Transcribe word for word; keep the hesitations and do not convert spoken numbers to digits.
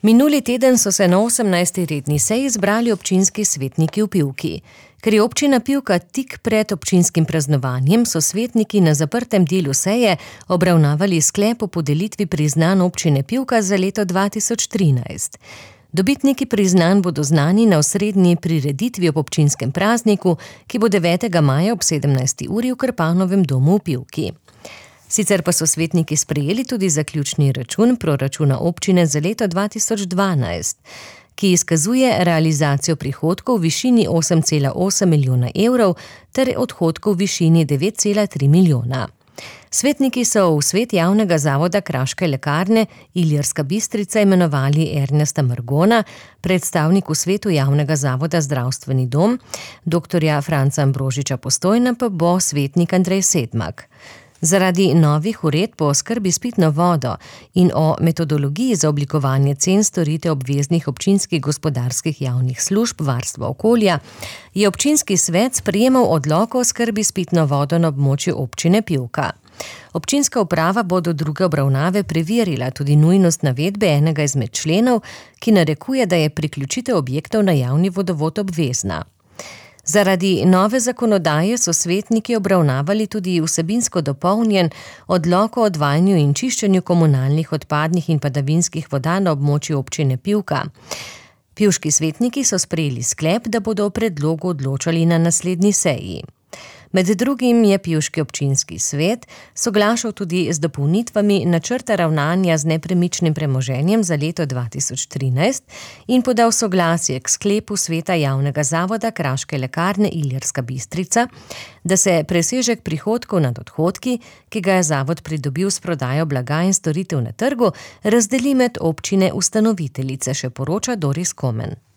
Minuli teden so se na osemnajsti redni seji zbrali občinski svetniki v Pivki. Ker je občina Pivka tik pred občinskim praznovanjem, so svetniki na zaprtem delu seje obravnavali sklep o podelitvi priznanj občine Pivka za leto dva tisoč trinajst. Dobitniki priznanj bodo znani na osrednji prireditvi ob občinskem prazniku, ki bo devetega maja ob sedemnajsti uri v Krpanovem domu v Pivki. Sicer pa so svetniki sprejeli tudi zaključni račun proračuna občine za leto dva tisoč dvanajst, ki izkazuje realizacijo prihodkov v višini osem cela osem milijona evrov ter odhodkov v višini devet cela tri milijona. Svetniki so v svet javnega zavoda Kraške lekarne Ilirska Bistrica imenovali Ernesta Margona, predstavnik v svetu javnega zavoda Zdravstveni dom, doktorja Franca Ambrožiča Postojna pa bo svetnik Andrej Sedmak. Zaradi novih uredb o oskrbi s pitno vodo in o metodologiji za oblikovanje cen storitev obveznih občinskih gospodarskih javnih služb varstva okolja je občinski svet sprejemal odlok o oskrbi s pitno vodo na območju občine Pivka. Občinska uprava bo do druge obravnave preverila tudi nujnost navedbe enega izmed členov, ki narekuje, da je priključitev objektov na javni vodovod obvezna. Zaradi nove zakonodaje so svetniki obravnavali tudi vsebinsko dopolnjen odlok o odvajanju in čiščenju komunalnih odpadnih in padavinskih voda na območju občine Pivka. Pivški svetniki so sprejeli sklep, da bodo o predlogu odločali na naslednji seji. Med drugim je pivški občinski svet soglašal tudi z dopolnitvami načrta ravnanja z nepremičnim premoženjem za leto dva tisoč trinajst in podal soglasje k sklepu sveta javnega zavoda Kraške lekarne Ilirska Bistrica, da se presežek prihodkov nad odhodki, ki ga je zavod pridobil s prodajo blaga in storitev na trgu, razdeli med občine ustanoviteljice, še poroča Doris Komen.